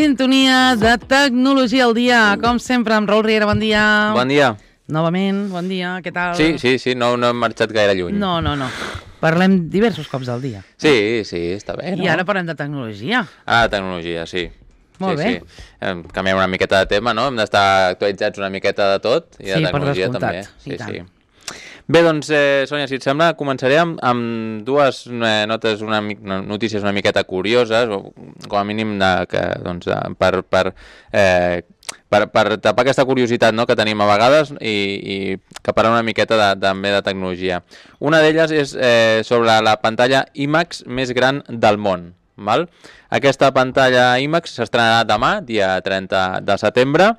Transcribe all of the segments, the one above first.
Sintonia de Tecnologia al dia, com sempre, amb Raül Riera, bon dia. Bon dia. Novament, bon dia, què tal? Sí, no hem marxat gaire lluny. No. Parlem diversos cops al dia. Sí, està bé, no? I ara parlem de tecnologia. Ah, tecnologia, sí. Molt bé. Canviem una miqueta de tema, no? Hem d'estar actualitzats una miqueta de tot, i de tecnologia també. Sí. Bé, doncs, Sònia, si et sembla, començaré amb dues notes, notícies una miqueta curioses, o com a mínim per tapar aquesta curiositat, no?, que tenim a vegades i que parla una miqueta també de tecnologia. Una d'elles és sobre la pantalla IMAX més gran del món. Val? Aquesta pantalla IMAX s'estrenarà demà, dia 30 de setembre,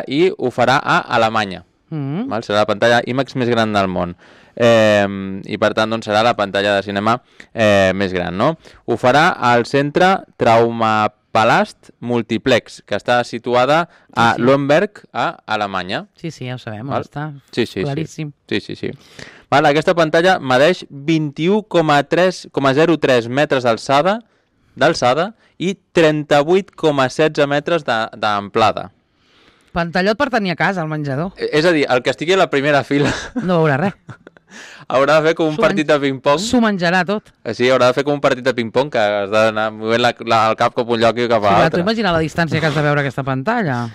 i ho farà a Alemanya. Val? Serà la pantalla IMAX més gran del món. I per tant doncs, serà la pantalla de cinema més gran, no? Ho farà al centre Traumapalast Multiplex, que està situada a Lemberg, a Alemanya. Sí, ja ho sabem, on està. Sí. Claríssim. Sí. Val, aquesta pantalla medeix 21,03 metres d'alçada i 38,16 metres d'amplada. Pantallot per tenir a casa, al menjador. És a dir, el que estigui a la primera fila no veurà res. Haurà de fer com un partit de ping-pong. S'ho menjarà tot. Sí, haurà de fer com un partit de ping-pong, que has d'anar movent el cap cap un lloc i cap a l'altre. Tu imagina la distància que has de veure aquesta pantalla.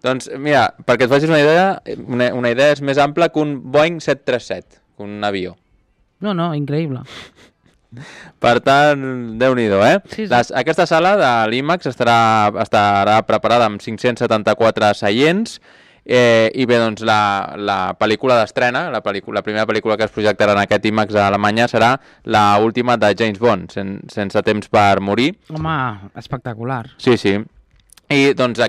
Doncs mira, perquè et facis una idea, una idea és més ampla que un Boeing 737, un avió. No, increïble. Per tant, Déu-n'hi-do, Sí. Aquesta sala de l'IMAX estarà preparada amb 574 seients i bé, doncs la pel·lícula d'estrena, la primera pel·lícula que es projectarà en aquest IMAX a Alemanya serà l'última de James Bond, Sense temps per morir. Home, espectacular. Sí. I doncs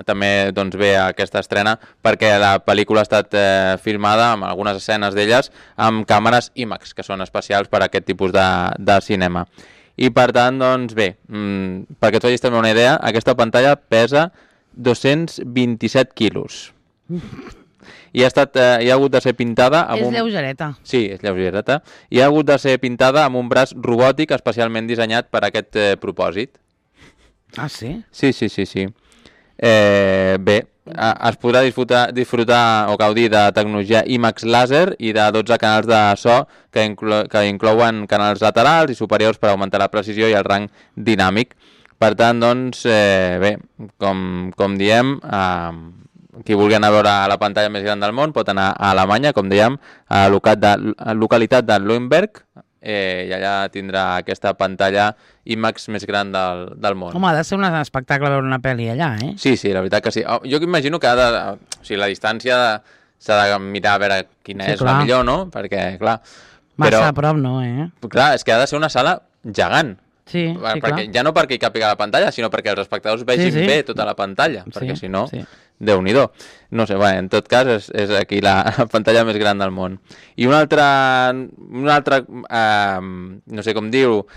també ve aquesta estrena perquè la pel·lícula ha estat filmada amb algunes escenes d'elles amb càmeres IMAX, que són especials per a aquest tipus de cinema. I per tant, doncs bé, perquè et facis també una idea, aquesta pantalla pesa 227 quilos. I ha hagut de ser pintada amb És lleugereta. Sí, és lleugereta. I ha hagut de ser pintada amb un braç robòtic especialment dissenyat per a aquest propòsit. Ah, sí? Sí. Bé, es podrà disfrutar o gaudir de tecnologia IMAX làser i de 12 canals de so que inclouen canals laterals i superiors per augmentar la precisió i el rang dinàmic. Per tant, doncs, bé, com diem, qui vulgui anar a veure la pantalla més gran del món pot anar a Alemanya, com dèiem, a la localitat de Lemberg, i allà tindrà aquesta pantalla IMAX més gran del món. Home, ha de ser un espectacle veure una pel·li allà, Sí, la veritat que sí. Jo imagino que la distància s'ha de mirar a veure quina és la millor, no? Perquè, clar... Massa a prop no, Clar, és que ha de ser una sala gegant. Sí, clar. Ja no perquè hi càpiga la pantalla, sinó perquè els espectadors vegin bé tota la pantalla, perquè si no... Déu-n'hi-do. No sé, en tot cas és aquí la pantalla més gran del món. I un altre no sé com dir-ho,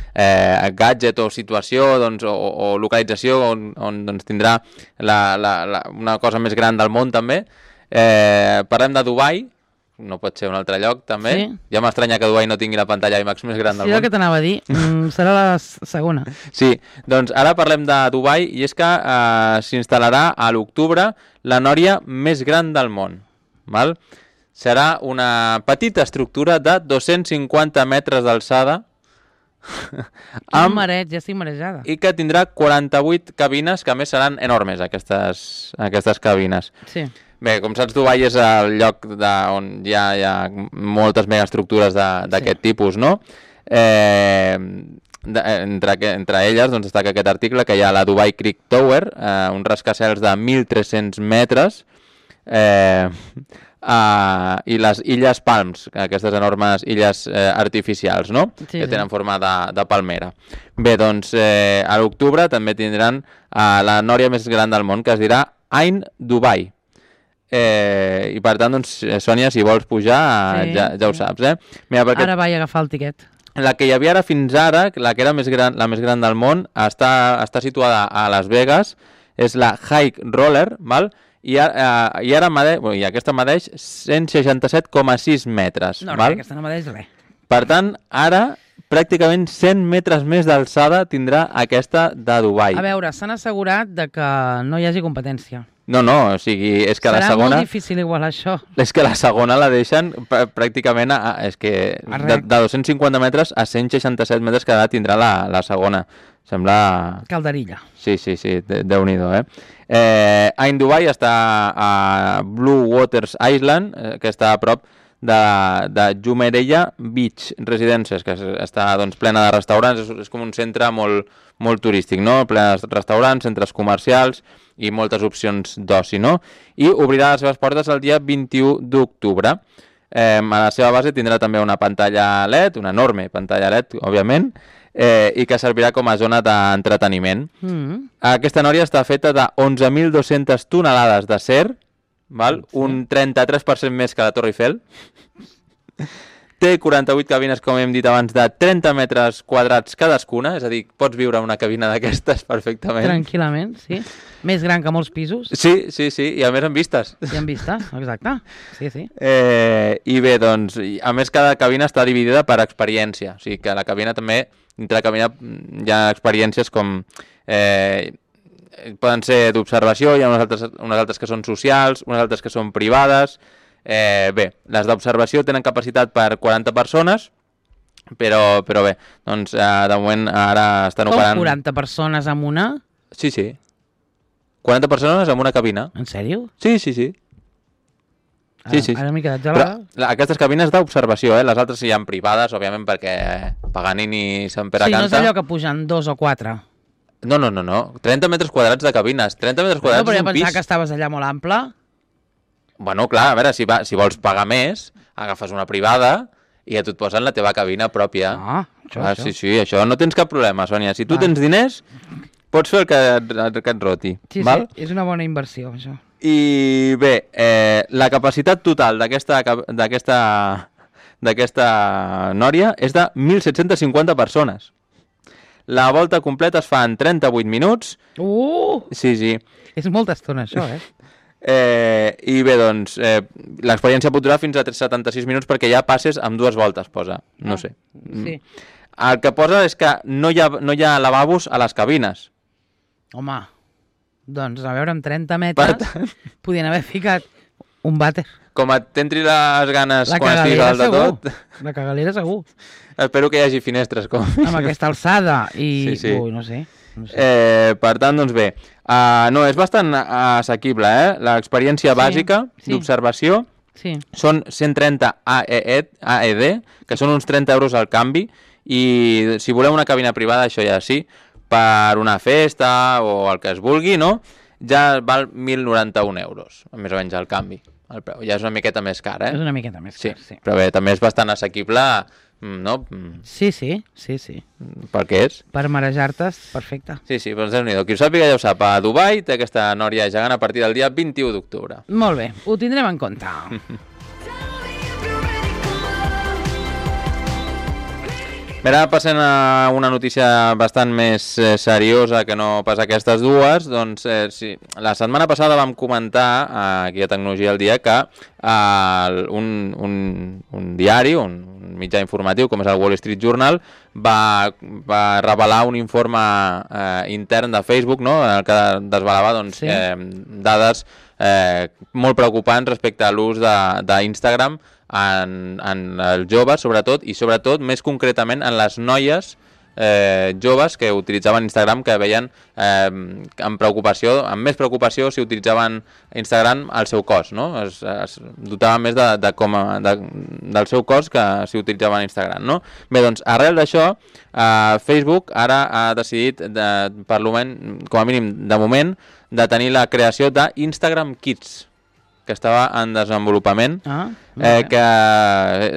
gadget o situació o localització on doncs, tindrà una cosa més gran del món també. Parlem de Dubai, no pot ser un altre lloc també. Sí. Ja m'estranya que Dubai no tingui la pantalla IMAX més gran del món. Sí, el que t'anava a dir, serà la segona. Sí, doncs ara parlem de Dubai i és que s'instal·larà a l'octubre la nòria més gran del món. Val? Serà una petita estructura de 250 metres d'alçada Ja estic marejada. I que tindrà 48 cabines, que a més seran enormes aquestes cabines. Sí. Bé, com saps, Dubai és el lloc on hi ha moltes megaestructures d'aquest tipus, no? Entre elles doncs, destaca aquest article que hi ha la Dubai Creek Tower, un rascacels de 1.300 metres, i les Illes Palms, aquestes enormes illes artificials, no? Que tenen forma de palmera. Bé, doncs a l'octubre també tindran la nòria més gran del món, que es dirà Ain Dubai. I per tant, doncs, Sònia, si vols pujar, ja ho saps, Mira, perquè ara vaig agafar el tiquet. La que hi havia ara fins ara, la que era la més gran del món, està situada a Las Vegas, és la High Roller, val? I aquesta medeix 167,6 metres. No, aquesta no medeix res. Per tant, ara pràcticament 100 metres més d'alçada tindrà aquesta de Dubai. A veure, s'han assegurat de que no hi hagi competència. No, o sigui, és que Serà la segona... molt difícil igualar això. És que la segona la deixen pràcticament és que de 250 metres a 167 metres cada tindrà la segona. Sembla... Calderilla. Sí, Déu-n'hi-do, Ain Dubai està a Blue Waters Island, que està a prop de Jumeirah Beach Residences, que està doncs, plena de restaurants, és com un centre molt turístic, no? Ple de restaurants, centres comercials i moltes opcions d'oci, no? I obrirà les seves portes el dia 21 d'octubre. A la seva base tindrà també una pantalla LED, una enorme pantalla LED, òbviament, i que servirà com a zona d'entreteniment. Aquesta nòria està feta de 11.200 tonelades d'acer, un 33% més que la Torre Eiffel. Té 48 cabines, com hem dit abans, de 30 metres quadrats cadascuna, és a dir, pots viure en una cabina d'aquestes perfectament. Tranquil·lament, sí. Més gran que molts pisos. Sí, i a més amb vistes. I amb vistes, exacte. Sí. I bé, doncs, a més cada cabina està dividida per experiència, o sigui que la cabina també, dintre la cabina hi ha experiències com... poden ser d'observació, hi ha unes altres que són socials, unes altres que són privades. Bé, les d'observació tenen capacitat per 40 persones, però bé, doncs de moment ara estan operant... Com 40 persones amb una? Sí. 40 persones amb una cabina. En sèrio? Sí. Ara m'he quedat gelada. Però aquestes cabines d'observació, les altres hi ha privades, òbviament, perquè Paganini i Sant Pere canta. Sí, no és allò que pugen 2 o 4. No. 30 metres quadrats de cabines. 30 metres quadrats és un pis. Però jo pensava que estaves allà molt ample. Bueno, clar, a veure, si vols pagar més, agafes una privada i ja et posen la teva cabina pròpia. Això. Sí, això no tens cap problema, Sònia. Si tu tens diners, pots fer el que et roti. Sí, val? És una bona inversió, això. I bé, la capacitat total d'aquesta nòria és de 1.750 persones. La volta completa es fa en 38 minuts. Sí. És molta estona, això, I bé, doncs, l'experiència pot durar fins a 76 minuts perquè ja passes amb 2 voltes, posa. No sé. Sí. El que posa és que no hi ha lavabos a les cabines. Home, doncs, a veure, amb 30 metres podien haver ficat un vàter. Com t'entri les ganes quan estiguis dalt de tot... La cagalera segur. Espero que hi hagi finestres. Amb aquesta alçada i... Sí. Ui, no sé. Per tant, doncs bé, no, és bastant assequible, l'experiència bàsica d'observació són 130 AED, que són uns 30 euros al canvi, i si voleu una cabina privada, això ja sí, per una festa o el que es vulgui, no? Ja val 1.091 euros, més o menys al canvi, el preu. Ja és una miqueta més car, És una miqueta més car, sí. Però bé, també és bastant assequible, no? Sí. Per què és? Per marejar-te, perfecte. Sí, doncs Déu-n'hi-do. Qui ho sàpiga ja ho sap. A Dubai té aquesta nòria gegant a partir del dia 21 d'octubre. Molt bé, ho tindrem en compte. Bé, ara passem a una notícia bastant més seriosa que no pas aquestes dues. Doncs sí, la setmana passada vam comentar aquí a Tecnologia al Dia que un diari, un mitjà informatiu com és el Wall Street Journal va revelar un informe intern de Facebook, no? En el que desvelava doncs, dades molt preocupants respecte a l'ús d'Instagram en els joves, sobretot més concretament en les noies joves que utilitzaven Instagram, que veien amb més preocupació si utilitzaven Instagram al seu cos, no? Es dotaven més del seu cos que si utilitzaven Instagram, no? Bé, doncs, arrel d'això, Facebook ara ha decidit, com a mínim de moment, de tenir la creació d'Instagram Kids, que estava en desenvolupament, que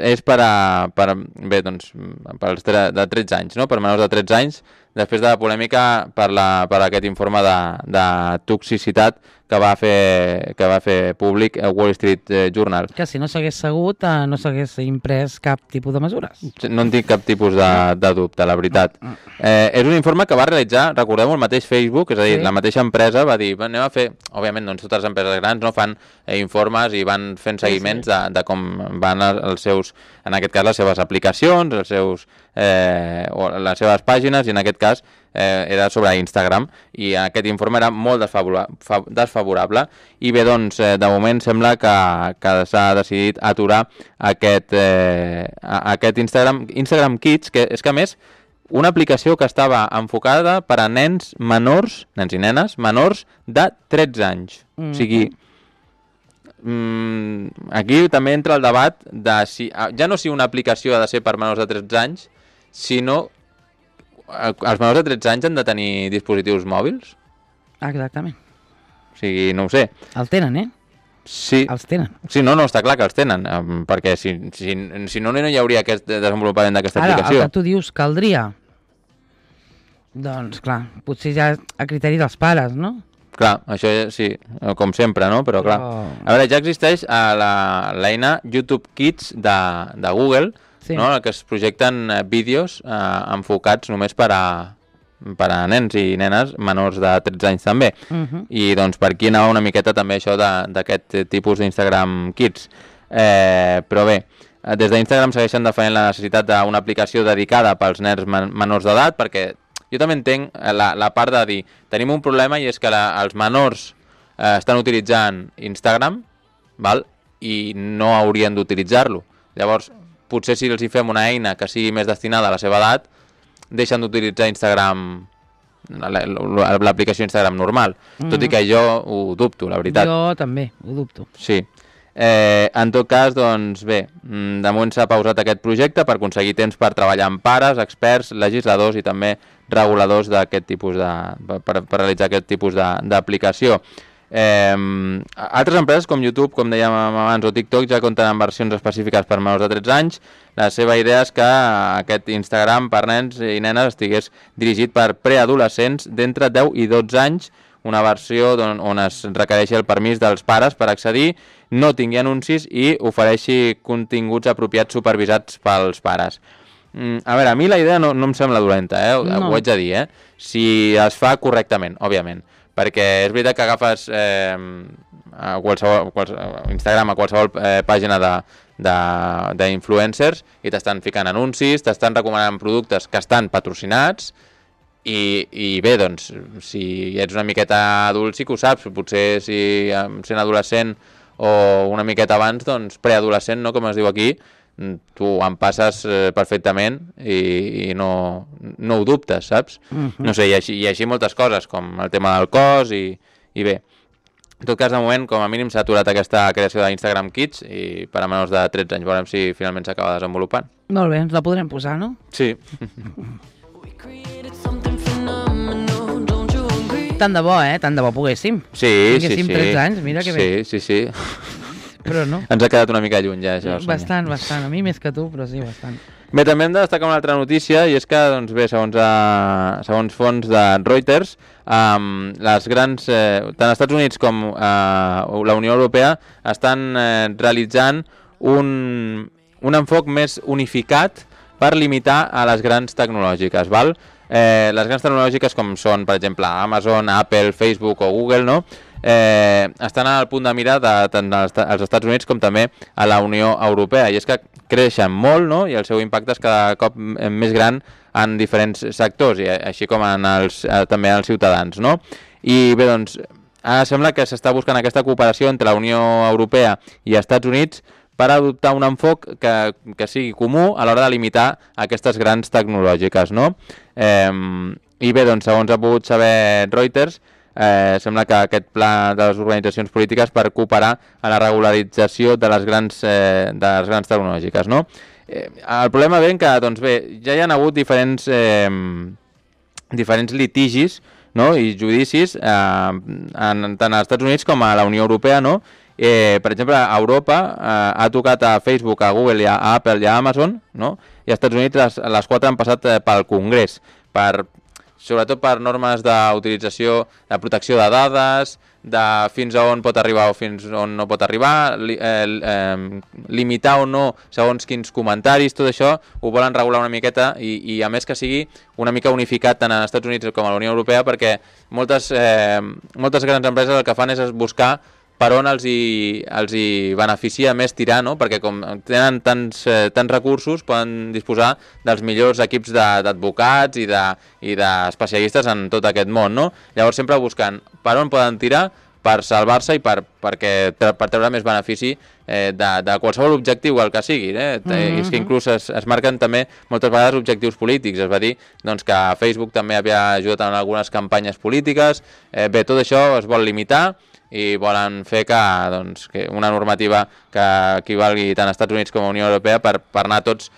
és bé, doncs, de 13 anys, no? Per menors de 13 anys, després de la polèmica per aquest informe de toxicitat que va fer públic Wall Street Journal. Que si no s'hagués segut, no s'hagués imprès cap tipus de mesures. No en tinc cap tipus de dubte, la veritat. És un informe que va realitzar, recordem, el mateix Facebook, és a dir, la mateixa empresa va dir, anem a fer, òbviament, doncs totes les empreses grans no fan informes i van fent seguiments de com van els seus, en aquest cas, les seves aplicacions, els seus, o les seves pàgines, i en aquest cas era sobre Instagram, i aquest informe era molt desfavorable, i bé, doncs, de moment sembla que s'ha decidit aturar aquest Instagram Kids, que és que a més, una aplicació que estava enfocada per a nens menors, nens i nenes, menors de 13 anys. O sigui, aquí també entra el debat de si, ja no si una aplicació ha de ser per menors de 13 anys, sinó els menors de 13 anys han de tenir dispositius mòbils? Exactament. O sigui, no ho sé. El tenen, Sí. Els tenen. Sí, no, està clar que els tenen, perquè si no, no hi hauria aquest desenvolupament d'aquesta aplicació. Ara, el que tu dius, caldria? Doncs, clar, potser ja a criteri dels pares, no? Clar, això sí, com sempre, no? Però clar, a veure, ja existeix l'eina YouTube Kids de Google, no? En què es projecten vídeos enfocats només per a nens i nenes menors de 13 anys també. I doncs per aquí anava una miqueta també això d'aquest tipus d'Instagram Kids. Però bé, des d'Instagram segueixen defendent la necessitat d'una aplicació dedicada pels nens menors d'edat, perquè jo també entenc la part de dir, tenim un problema i és que els menors estan utilitzant Instagram, i no haurien d'utilitzar-lo. Llavors, potser si els hi fem una eina que sigui més destinada a la seva edat, deixen d'utilitzar Instagram, l'aplicació Instagram normal, tot i que jo ho dubto, la veritat. Jo també ho dubto. Sí. En tot cas, doncs bé, de moment s'ha pausat aquest projecte per aconseguir temps per treballar amb pares, experts, legisladors i també reguladors d'aquest tipus per realitzar aquest tipus d'aplicació. Altres empreses com YouTube, com dèiem abans, o TikTok ja compten amb versions específiques per menors de 13 anys. La seva idea és que aquest Instagram per nens i nenes estigués dirigit per preadolescents d'entre 10 i 12 anys, una versió on es requereixi el permís dels pares per accedir, no tingui anuncis i ofereixi continguts apropiats supervisats pels pares. A veure, a mi la idea no em sembla dolenta, ho haig de dir, si es fa correctament, òbviament. Perquè és veritat que agafes Instagram a qualsevol pàgina d'influencers i t'estan ficant anuncis, t'estan recomanant productes que estan patrocinats i bé, doncs, si ets una miqueta adult sí que ho saps, potser si sent adolescent o una miqueta abans, doncs preadolescent, no, com es diu aquí, tu en passes perfectament i no ho dubtes, saps? No sé, i així moltes coses, com el tema del cos i bé. En tot cas, de moment, com a mínim s'ha aturat aquesta creació d'Instagram Kids i per a menors de 13 anys, veurem si finalment s'acaba desenvolupant. Molt bé, ens la podrem posar, no? Sí. Tant de bo, tant de bo poguéssim. Sí. Tinguéssim 13 anys, mira que bé. Sí. Però no. Ens ha quedat una mica lluny ja, això. Bastant. A mi més que tu, però sí, bastant. Bé, també hem de destacar una altra notícia, i és que, doncs bé, segons fons de Reuters, les grans, tant els Estats Units com la Unió Europea estan realitzant un enfoc més unificat per limitar a les grans tecnològiques, val? Les grans tecnològiques com són, per exemple, Amazon, Apple, Facebook o Google, no? Estan al punt de mira tant als Estats Units com també a la Unió Europea, i és que creixen molt, no? I el seu impacte és cada cop més gran en diferents sectors, i així com també als ciutadans, no? I bé, doncs, ara sembla que s'està buscant aquesta cooperació entre la Unió Europea i els Estats Units per adoptar un enfoc que sigui comú a l'hora de limitar aquestes grans tecnològiques, no? I bé, doncs, segons ha pogut saber Reuters, sembla que aquest pla de les organitzacions polítiques per cooperar a la regularització de les grans tecnològiques, no? El problema ve que, doncs bé, ja hi ha hagut diferents litigis, no? I judicis tant als Estats Units com a la Unió Europea, no? Per exemple, a Europa ha tocat a Facebook, a Google, a Apple i a Amazon, no? I als Estats Units les quatre han passat pel Congrés per sobretot per normes d'utilització, de protecció de dades, de fins a on pot arribar o fins on no pot arribar, limitar o no segons quins comentaris, tot això ho volen regular una miqueta i a més que sigui una mica unificat tant als Estats Units com a la Unió Europea, perquè moltes grans empreses el que fan és buscar per on els hi beneficia més tirar, no? Perquè com tenen tants recursos poden disposar dels millors equips d'advocats i d'especialistes en tot aquest món, no? Llavors sempre buscant per on poden tirar per salvar-se i per treure més benefici de qualsevol objectiu, el que sigui. És que inclús es marquen també moltes vegades objectius polítics. Es va dir doncs, que Facebook també havia ajudat en algunes campanyes polítiques. Bé, tot això es vol limitar i volen fer que una normativa que equivalgui tant als Estats Units com a Unió Europea per anar tots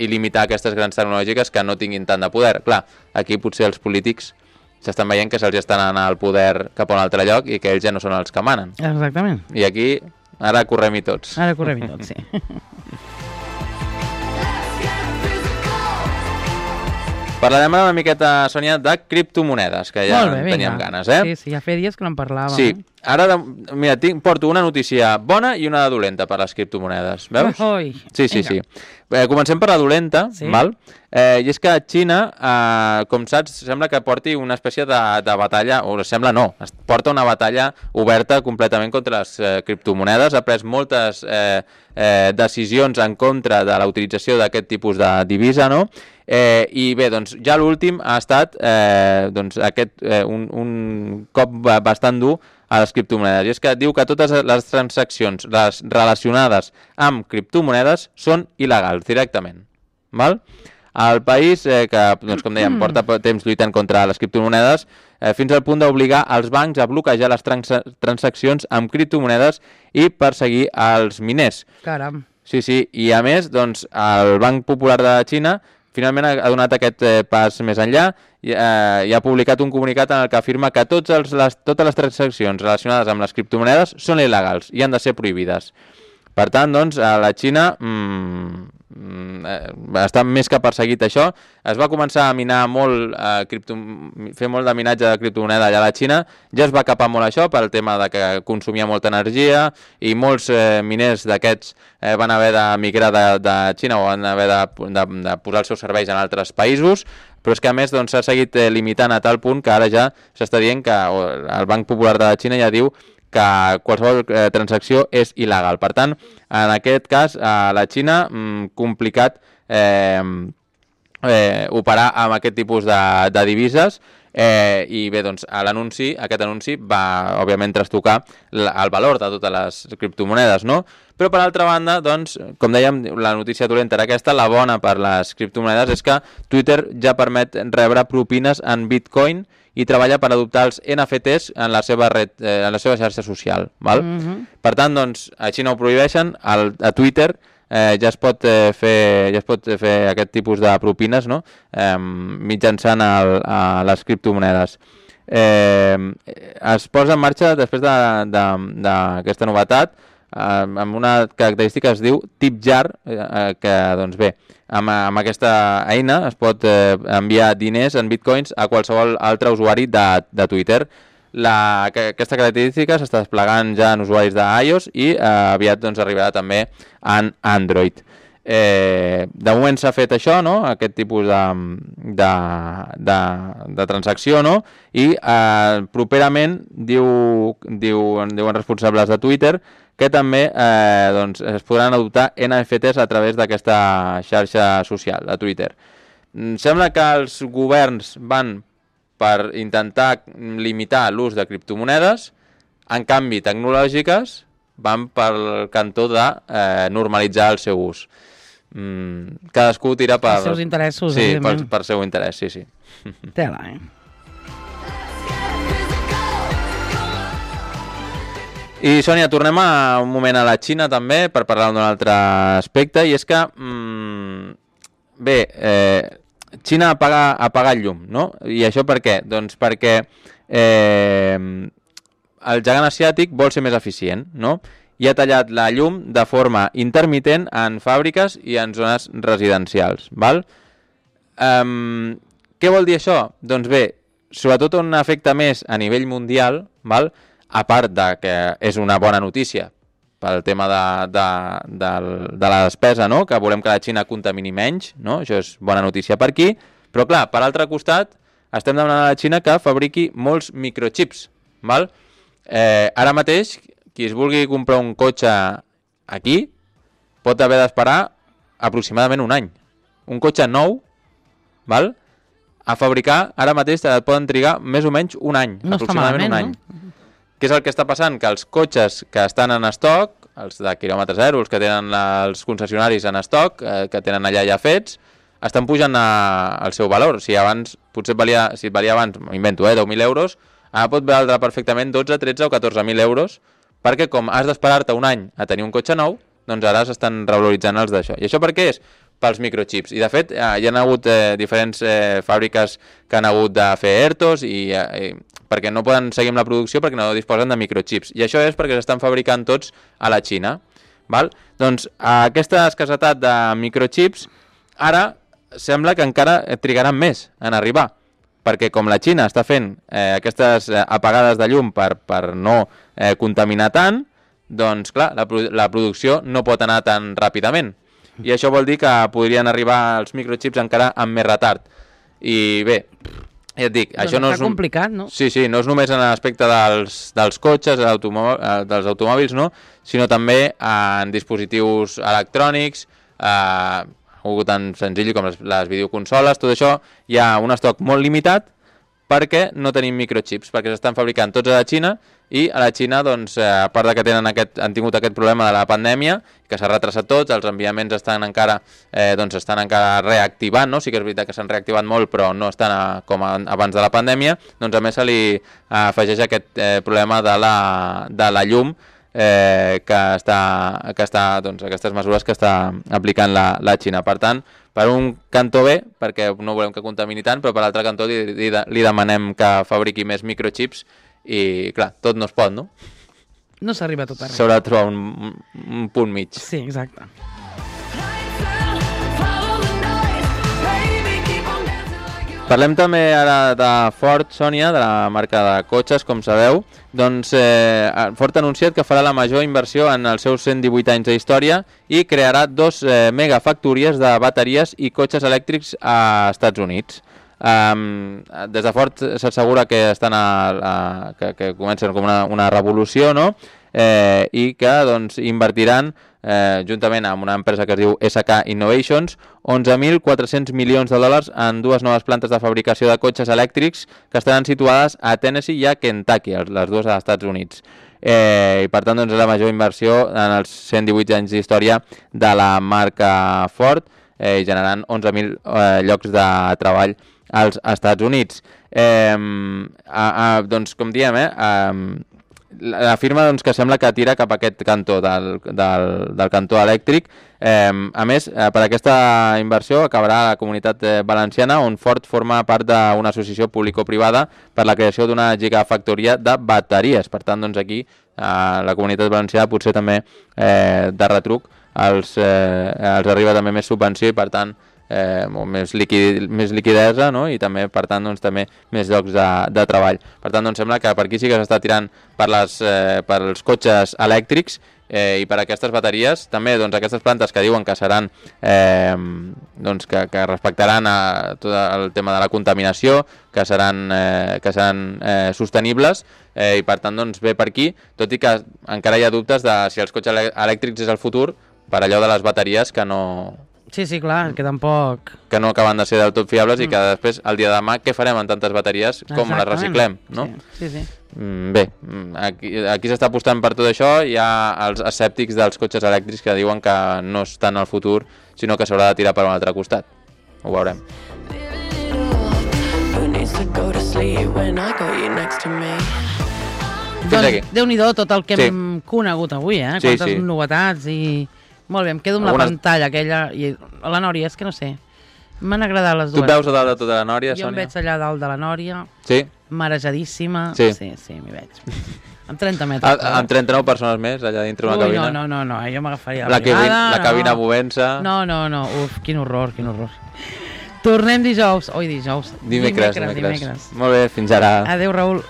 i limitar aquestes grans tecnològiques que no tinguin tant de poder. Clar, aquí potser els polítics s'estan veient que se'ls estan anant al poder cap a un altre lloc i que ells ja no són els que manen. Exactament. I aquí ara correm-hi tots. Ara correm-hi tots, sí. Parlarem una miqueta, Sònia, de criptomonedes, que ja teníem ganes, Sí, ja feia dies que no en parlàvem. Sí, ara, mira, porto una notícia bona i una dolenta per les criptomonedes, veus? Sí. Comencem per la dolenta, val? I és que Xina, com saps, sembla que porti una espècie de batalla, o sembla no, porta una batalla oberta completament contra les criptomonedes, ha pres moltes decisions en contra de la utilització d'aquest tipus de divisa, no? I bé, doncs ja l'últim ha estat un cop bastant dur a les criptomonedes, i és que diu que totes les transaccions relacionades amb criptomonedes són il·legals directament, val? El país, que, doncs, com dèiem, porta temps lluitant contra les criptomonedes, fins al punt d'obligar els bancs a bloquejar les transaccions amb criptomonedes i perseguir els miners. Caram. Sí, i a més, doncs, el Banc Popular de Xina finalment ha donat aquest pas més enllà i ha publicat un comunicat en el que afirma que totes les transaccions relacionades amb les criptomonedes són il·legals i han de ser prohibides. Per tant, doncs, a la Xina està més que perseguit això. Es va començar a minar molt, fer molt de minatge de criptomoneda allà a la Xina. Ja es va capar molt això pel tema de que consumia molta energia i molts miners d'aquests van haver de migrar de Xina o van haver de posar els seus serveis en altres països, però és que a més doncs, s'ha seguit limitant a tal punt que ara ja s'està dient que el Banc Popular de la Xina ja diu que qualsevol transacció és il·legal. Per tant, en aquest cas, a la Xina, complicat operar amb aquest tipus de divises, i bé, doncs, aquest anunci va, òbviament, trastocar el valor de totes les criptomonedes, no? Però, per altra banda, doncs, com dèiem, la notícia dolenta era aquesta, la bona per les criptomonedes és que Twitter ja permet rebre propines en Bitcoin i treballa per adoptar els NFTs en la seva xarxa social, val? Per tant, doncs, a Xina ho prohibeixen, a Twitter ja es pot fer aquest tipus de propines, no? Mitjançant les criptomonedes. Es posa en marxa després d'aquesta novetat amb una característica que es diu tip jar, que doncs bé, amb aquesta eina es pot enviar diners en bitcoins a qualsevol altre usuari de Twitter. Aquesta característica s'està desplegant ja en usuaris d'iOS i aviat doncs, arribarà també en Android. De moment s'ha fet això, no? Aquest tipus de transacció, no? I properament diuen responsables de Twitter que també doncs, es podran adoptar NFTs a través d'aquesta xarxa social de Twitter. Sembla que els governs van per intentar limitar l'ús de criptomonedes, en canvi tecnològiques van pel cantó de normalitzar el seu ús. Cadascú tira per... Els seus interessos, sí, per seu interès, sí. Tela, I, Sònia, tornem un moment a la Xina també per parlar d'un altre aspecte, i és que, bé, Xina apaga el llum, no? I això per què? Doncs perquè el gegant asiàtic vol ser més eficient, no? I ha tallat la llum de forma intermitent en fàbriques i en zones residencials, val? Què vol dir això? Doncs bé, sobretot un efecte més a nivell mundial, val? A part de que és una bona notícia pel tema de la despesa, no? Que volem que la Xina contamini menys, no? Això és bona notícia per aquí, però clar, per l'altre costat estem demanant a la Xina que fabriqui molts microchips, val? Ara mateix, qui es vulgui comprar un cotxe aquí pot haver d'esperar aproximadament un any. Un cotxe nou, val? A fabricar, ara mateix et poden trigar més o menys un any, no aproximadament un any. No? Què és el que està passant? Que els cotxes que estan en estoc, els de quilòmetre zero, els que tenen els concessionaris en estoc, que tenen allà ja fets, estan pujant al seu valor. Si abans, potser si et valia abans, m'invento, 10.000 euros, ara pot valdre perfectament 12, 13 o 14.000 euros, perquè com has d'esperar-te un any a tenir un cotxe nou, doncs ara s'estan revaloritzant els d'això. I això per què és? Pels microchips. I de fet, hi ha hagut diferents fàbriques que han hagut de fer ERTOs perquè no poden seguir amb la producció perquè no disposen de microchips. I això és perquè s'estan fabricant tots a la Xina. Val? Doncs aquesta escassetat de microchips ara sembla que encara trigaran més en arribar, perquè com la Xina està fent aquestes apagades de llum per no contaminar tant, doncs clar, la producció no pot anar tan ràpidament. I això vol dir que podrien arribar els microchips encara amb més retard. I bé, ja et dic, això no és... Està complicat, no? Sí, no és només en l'aspecte dels cotxes, dels automòbils, no? Sinó també en dispositius electrònics, algo tan senzill com les videoconsoles, tot això hi ha un estoc molt limitat perquè no tenim microchips, perquè s'estan fabricant tots a la Xina i a la Xina, doncs, a part de que han tingut aquest problema de la pandèmia, que s'ha retrasat tots, els enviaments estan encara reactivant, no? Sí que és veritat que s'han reactivat molt, però no estan com abans de la pandèmia, doncs a més se li afegeix aquest problema de la llum, que està doncs, aquestes mesures que està aplicant la Xina. Per tant, per un cantó bé, perquè no volem que contamini tant, però per l'altre cantó li demanem que fabriqui més microchips i, clar, tot no es pot, no? No s'arriba a tot arreu. S'haurà de trobar un punt mig. Sí, exacte. Parlem també ara de Ford, Sònia, de la marca de cotxes, com sabeu. Doncs Ford ha anunciat que farà la major inversió en els seus 118 anys d'història i crearà 2 megafactories de bateries i cotxes elèctrics a Estats Units. Des de Ford s'assegura que que comencen com una revolució, no? I que doncs, invertiran juntament amb una empresa que es diu SK Innovations 11.400 milions de dòlars en 2 noves plantes de fabricació de cotxes elèctrics que estaran situades a Tennessee i a Kentucky, les dues als Estats Units. I per tant doncs, és la major inversió en els 118 anys d'història de la marca Ford, generant 11.000 llocs de treball als Estats Units. Doncs com diem, la firma doncs, que sembla que tira cap a aquest cantó del cantó elèctric. A més, per aquesta inversió acabarà la Comunitat Valenciana, on Ford forma part d'una associació público-privada per la creació d'una gigafactoria de bateries. Per tant, doncs, aquí la Comunitat Valenciana potser també de retruc els arriba també més subvenció i per tant més liquidesa, no? I també, per tant, doncs, també més llocs de treball. Per tant, doncs, sembla que per aquí sí que s'està tirant pels cotxes elèctrics i per aquestes bateries. També doncs, aquestes plantes que diuen que seran doncs, que respectaran tot el tema de la contaminació, que seran sostenibles i per tant doncs, ve per aquí, tot i que encara hi ha dubtes de si els cotxes elèctrics és el futur per allò de les bateries que no... Sí, clar, que tampoc... Que no acaben de ser del tot fiables i que després, el dia de demà, què farem amb tantes bateries com les reciclem, no? Sí. Bé, aquí s'està apostant per tot això. Hi ha els escèptics dels cotxes elèctrics que diuen que no estan al futur, sinó que s'haurà de tirar per un altre costat. Ho veurem. Doncs Déu-n'hi-do tot el que hem conegut avui, quantes novetats i... Molt bé, em quedo amb la pantalla aquella i la Nòria, és que no sé, m'han agradat les dues. Tu et veus a dalt de tota la Nòria, Sònia? Jo em veig allà dalt de la Nòria, marejadíssima, sí, m'hi veig. Amb 30 metres. Amb 39 persones més allà dintre una cabina? No, jo m'agafaria la cabina movent-se. No, quin horror. Tornem dijous. Oi, dijous. Dimecres. Molt bé, fins ara. Adéu, Raül.